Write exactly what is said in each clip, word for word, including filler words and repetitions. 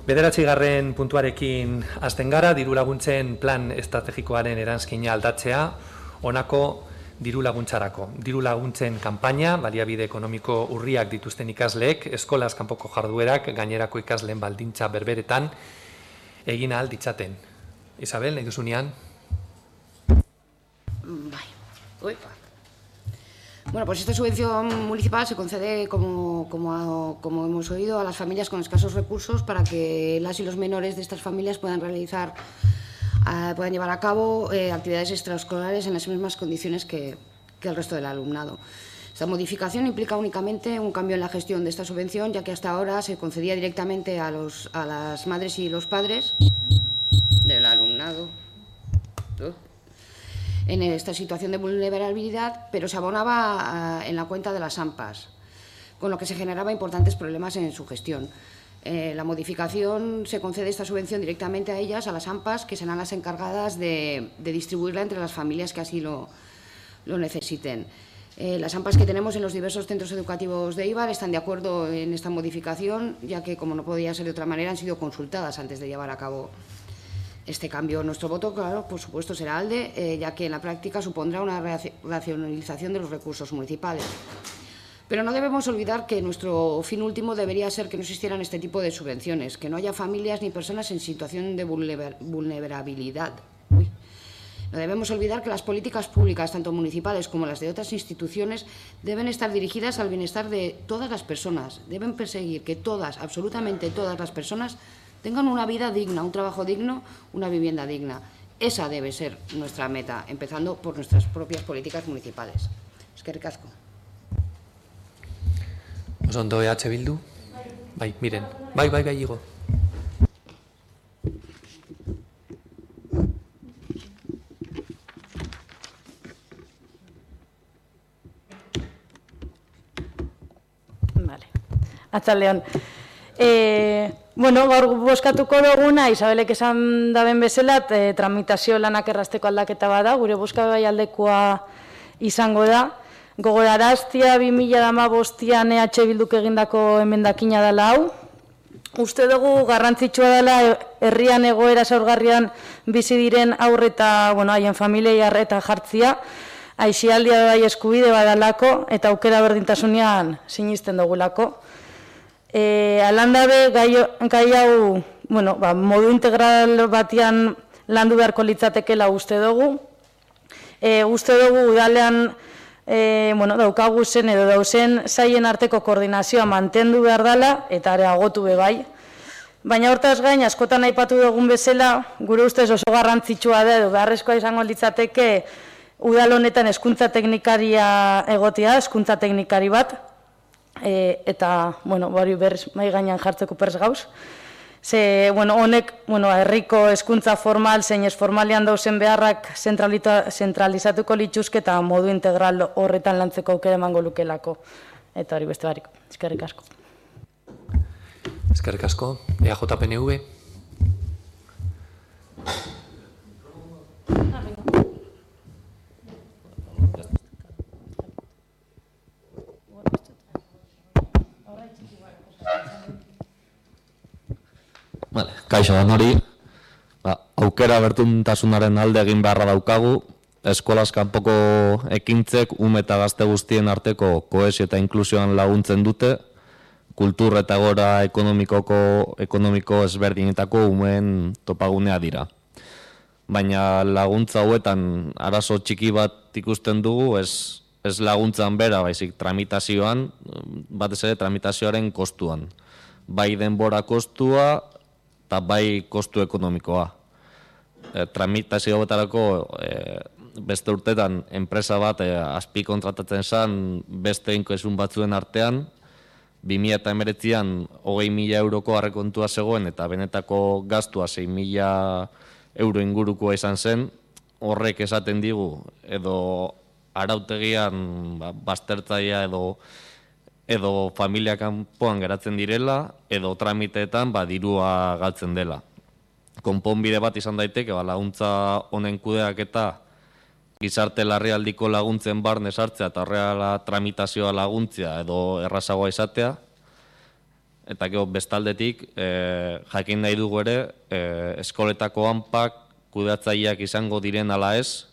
Bederatzigarren puntuarekin hasten gara, diru laguntzen plan estrategikoaren eranskina aldatzea, honako diru laguntzarako. Diru laguntzen kanpaina, baliabide ekonomiko urriak dituzten ikasleek, eskolaz kanpoko jarduerak, gainerako ikasleen baldintza berberetan, egin ahal ditzaten. Isabel, nahi duzunean? Bai, oipa. Bueno, pues esta subvención municipal se concede, como, como, como hemos oído, a las familias con escasos recursos para que las y los menores de estas familias puedan realizar, eh, puedan llevar a cabo eh, actividades extraescolares en las mismas condiciones que, que el resto del alumnado. Esta modificación implica únicamente un cambio en la gestión de esta subvención, ya que hasta ahora se concedía directamente a, los, a las madres y los padres del alumnado en esta situación de vulnerabilidad, pero se abonaba en la cuenta de las AMPAs, con lo que se generaba importantes problemas en su gestión. Eh, la modificación se concede esta subvención directamente a ellas, a las AMPAs, que serán las encargadas de, de distribuirla entre las familias que así lo, lo necesiten. Eh, las AMPAs que tenemos en los diversos centros educativos de Eibar están de acuerdo en esta modificación, ya que, como no podía ser de otra manera, han sido consultadas antes de llevar a cabo este cambio. Nuestro voto, claro, por supuesto, será ALDE, eh, ya que en la práctica supondrá una racionalización de los recursos municipales. Pero no debemos olvidar que nuestro fin último debería ser que no existieran este tipo de subvenciones, que no haya familias ni personas en situación de vulnerabilidad. Uy. No debemos olvidar que las políticas públicas, tanto municipales como las de otras instituciones, deben estar dirigidas al bienestar de todas las personas. Deben perseguir que todas, absolutamente todas las personas, tengan una vida digna, un trabajo digno, una vivienda digna. Esa debe ser nuestra meta, empezando por nuestras propias políticas municipales. Eskerrik asko. Osondo E H Bildu? Bai, miren. Bai, bai, bai, Igo. Vale. Atzaldeon. Eh... Bueno, gaur bozkatuko duguna, Isabelek esan daben bezala, e, tramitazio lanak errazteko aldaketa bada, gure bozkagai aldekoa izango da. Gogoraraztia bi mila hamabostean E H Bilduk egindako emendakina dela hau. Uste dugu garrantzitsua dela herrian egoera zaurgarrian bizi diren aurre eta, bueno, haien familiei arreta jartzia, aisialdia bai eskubide badalako eta aukera berdintasunean sinisten dugulako. E, alandabe gai, gai hau, bueno, ba, modu integral batian landu beharko litzatekela uste dugu. E, uste dugu udalean e, bueno, daukagu zen edo dauzen saien arteko koordinazioa mantendu behar dela eta areagotu be bai. Baina hortaz gain, askotan aipatu dugun bezala, gure ustez oso garrantzitsua da edo beharrezkoa izango litzateke udal honetan hezkuntza teknikaria egotea, hezkuntza teknikari bat. E, eta, bueno, hori berriz mai gainean jartzeko pers gauz. Ze, bueno, honek, bueno, herriko hezkuntza formal, zein ez formalean dauzen beharrak zentralizatuko lituzke eta modu integral horretan lantzeko aukera emango lukelako. Eta hori beste barik. Eskerrik asko. Eskerrik asko. E A J P N V. Vale, kaixo da nori, ba, aukera bertuntasunaren alde egin beharra daukagu, eskolaz kanpoko ekintzek ume eta gazte guztien arteko kohesio eta inklusioan laguntzen dute, kultur eta gora ekonomikoko, ekonomiko ezberdinetako umeen topagunea dira. Baina laguntza hauetan arazo txiki bat ikusten dugu, ez, ez laguntzan bera, baizik tramitazioan, batez ere tramitazioaren kostuan. Bai denbora kostua, eta bai kostu ekonomikoa. E, tramitazio betarako e, beste urtetan enpresa bat e, azpi kontratatzen zen beste inkoesun batzuen artean, bi mila hemeretzian hogei mila euroko arrekontua zegoen eta benetako gastua sei mila euro ingurukoa izan zen, horrek esaten digu edo arautegian ba, baztertzaia edo edo familia kanpoan geratzen direla, edo tramiteetan ba, dirua galtzen dela. Konponbide bat izan daiteke, ba, laguntza honen kudeak eta gizarte larrialdiko laguntzen barne sartzea eta horrela tramitazioa laguntzea edo errazagoa izatea, Eta gero bestaldetik, e, jakin nahi dugu ere, e, eskoletako hanpak kudeatzaileak izango diren ala ez,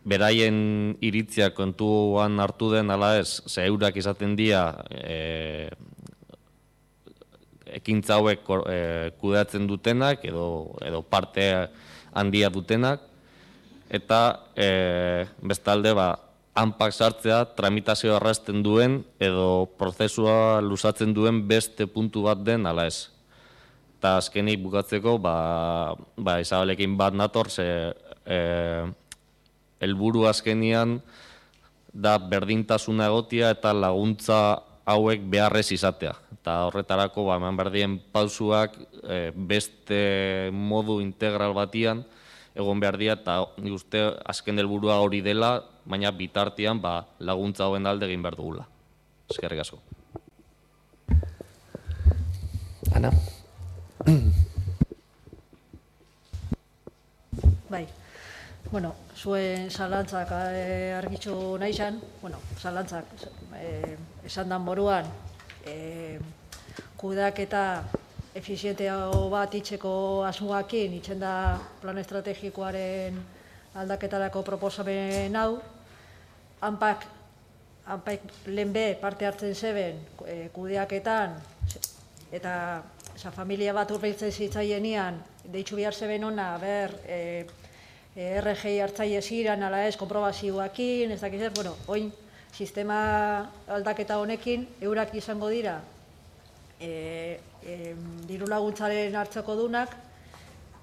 beraien iritziak kontuan hartu den ala ez, ze eurak izaten dira e, ekintza hauek e, kudeatzen dutenak edo, edo parte handia dutenak, eta e, bestalde ba, hanpak sartzea tramitazioa arrasten duen edo prozesua luzatzen duen beste puntu bat den ala ez. Eta azkenik bukatzeko, ba, ba Isabelekin bat nator, ze e, helburu azkenian da berdintasuna egotia eta laguntza hauek beharrez izatea. Eta horretarako ba, eman berdien pausuak e, beste modu integral batian egon behar dira, eta nik uste azken helburua hori dela, baina bitartean ba, laguntza hauen alde egin behar dugula. Eskerrik asko. Ana? Bai, bueno, zuen zalantzak eh, argitxu nahi zan, bueno, zalantzak eh, esan dan moruan, eh, kudeaketa efizienteago bat itxeko asmoakin, itxen da plan estrategikoaren aldaketarako proposamen hau, hanpak, hanpak lehen be parte hartzen zeben e, kudeaketan, eta esa, familia bat urbiltzen zitzaienian, deitzu behar zeben ona, ber, e, e, R G I hartzaile ziren, ala ez, konprobazioakin, ez dakiz zer, bueno, oin, sistema aldaketa honekin, eurak izango dira, e, e, diru laguntzaren hartzeko dunak,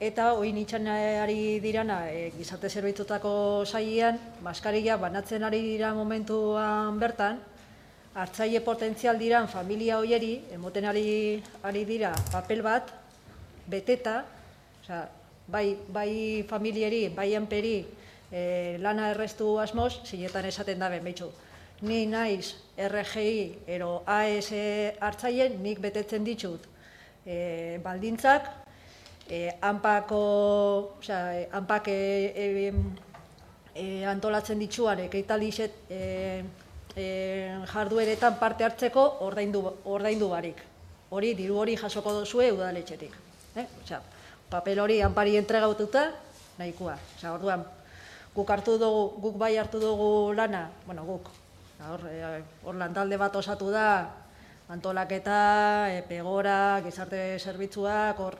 eta oin itxan ari dirana e, gizarte zerbitzutako sailean, maskarilla banatzen ari dira momentuan bertan, hartzaile potentzial diran familia hoieri, emoten ari, ari dira papel bat, beteta, osea, bai, bai familieri, bai hanperi e, lana errestu asmoz, zinetan esaten dabe, behitxu. Ni naiz R G I ero A S hartzaileen, nik betetzen ditut e, baldintzak, e, hanpako, osea, hanpak e, e, e, antolatzen ditzuan, ekeitaldi e, e, jardueretan parte hartzeko ordaindu, ordaindu barik. Hori, diru hori jasoko dozue udaletxetik. Eh? Osea, papel hori hanpari entregaututa, nahikoa. Osea, orduan, guk hartu dugu, guk bai hartu dugu lana, bueno, guk, hor, hor lantalde bat osatu da, antolaketa, e, pegora, gizarte zerbitzuak, hor,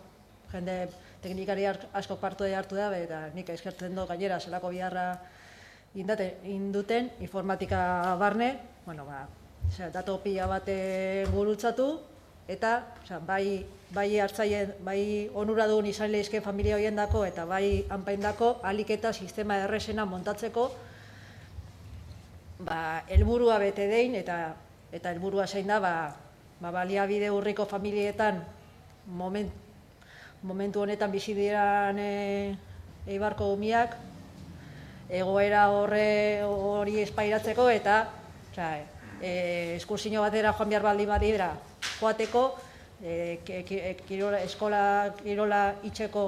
jende teknikari asko parte hartu da, eta nik eskertzen du gainera zelako biharra induten, informatika barne, bueno, ba, dato pila bate gurutzatu, eta bai, bai hartzaile, bai onuradun izan lehizke familia horiendako, eta bai hanpaindako aliketa sistema errezena montatzeko, ba, helburua bete dein, eta eta helburua zein da, ba, ba, baliabide urriko familietan moment, momentu honetan bizi diran e, eibarko umiak, egoera horre hori espairatzeko, eta oza, e, eskursino batera joan behar baldin badira joateko, e, kirola, eskola kirola itxeko,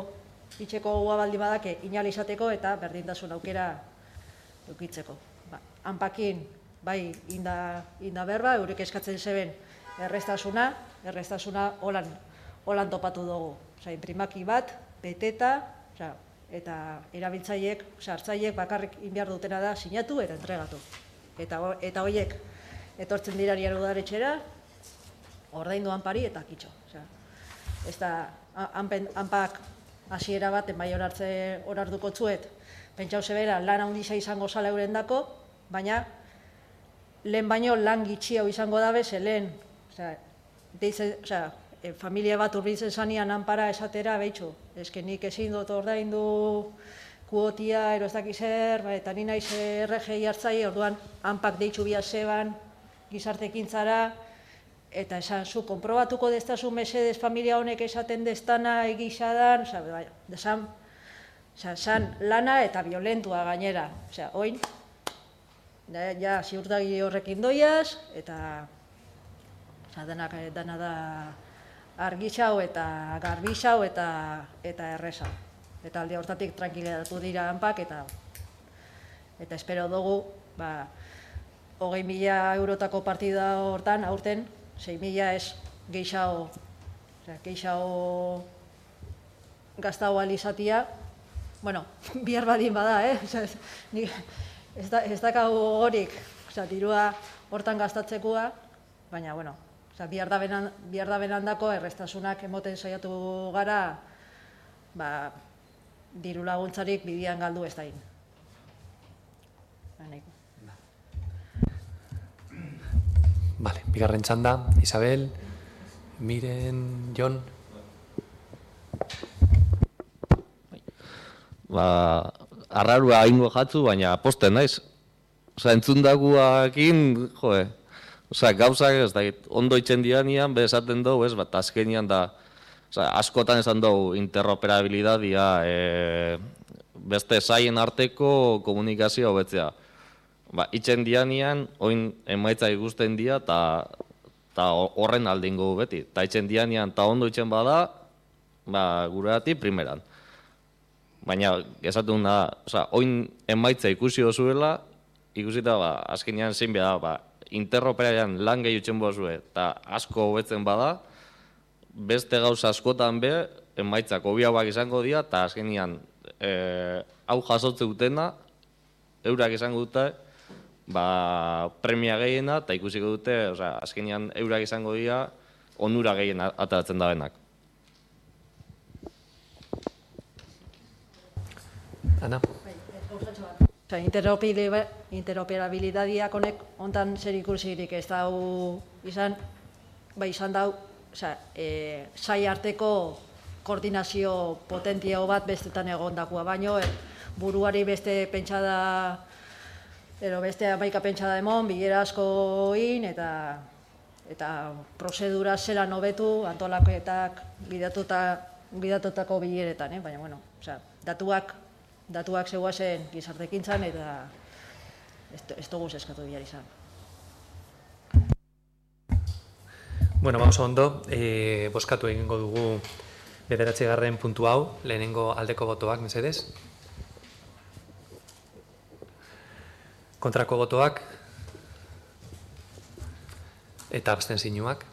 itxeko gua baldin badake inal izateko, eta berdintasun aukera eukitzeko. Ba, hanpakin, bai, inda, inda berba, eurek eskatzen zeben errestasuna, errestasuna holan, holan topatu dugu. Osa, imprimaki bat, beteta, osa, eta erabiltzaileek, osa, hartzaileek bakarrik inbiar dutena da sinatu eta entregatu. Eta, eta horiek etortzen dirarian udaletxera, ordaindu hanpari eta kitxo. Osa, ez da, hanpak hasiera bat, enbai horartze horartuko txuet, pentsau zebera lan handiza izango zala eurendako, baina lehen baino lan gitxi hau izango dabe, ze lehen, osa, deize, osa, E, familia bat urbiltzen zanean hanpara esatera, behitxu, ezke nik ezin dut ordaindu kuotia, ero ez dakiz er, ba, eta ni naiz R G I hartzaile, orduan hanpak deitxu bia zeban gizartekintzara, eta esan zu, konprobatuko destazu mesedez familia honek esaten destana egisadan, oza, bai, desan, oza, san lana eta violentua gainera, oza, oin, ja, ja ziurtagi horrekin doiaz, eta oza, denak, dena da argixau eta garbixau eta eta erresa. Eta alde hortatik tranquilidatu dira hanpak, eta eta espero dugu, ba, hogei mila eurotako partida hortan, aurten, sei mila ez gehiago, osea, gehiago gaztau alizatia, bueno, bihar badin bada, eh? Osea, ez, ni, ez, da, ez dakagu horik, osea, dirua hortan gastatzekoa, baina, bueno, osea, bihar da benan, bihar da benandako errestasunak emoten saiatu gara, ba, diru laguntzarik bidian galdu ez dain. Vale, bigarren txanda, Isabel, Miren, Jon. Ba, arrarua ingo jatzu, baina posten naiz. Osa, entzundaguakin, joe, osa, gauzak ez da, ondo itzen dianian, be esaten dugu, ez, bat azkenian da, osa, askotan esan dugu interoperabilidadia, e, beste saien arteko komunikazioa hobetzea. Ba, itzen dianian, oin emaitza ikusten dia, eta horren aldingo beti. Ta itzen dianian, eta ondo itzen bada, ba, gureati primeran. Baina, esatu da, oza, oin emaitza ikusi dozuela, ikusita, ba, azkenean zein behar da, ba, interoperaian lan gehi utzen bozue, eta asko hobetzen bada, beste gauza askotan be, emaitzak hobiagoak izango dira, eta azkenean, e, hau jasotze dutena, eurak izango dute, ba, premia gehiena, eta ikusiko dute, oza, azkenean eurak izango dira, onura gehien ateratzen da benak. Ana? Interoperabilidadiak honek ontan zer ikusirik ez dau izan, bai izan dau, e, sai arteko koordinazio potentio bat bestetan egondakua, baino buruari beste pentsada, ero beste amaika pentsada emon, bilera asko in, eta eta prozedura zelan hobetu antolaketak bidatutako bileretan, baina, bueno, datuak datuak zeuazen gizartekintzan eta ez dugu eskatu bihar izan. Bueno, ba, oso ondo, e, boskatu egingo dugu bederatzigarren puntu hau, lehenengo aldeko botoak, mesedez. Kontrako botoak eta abstentzioak.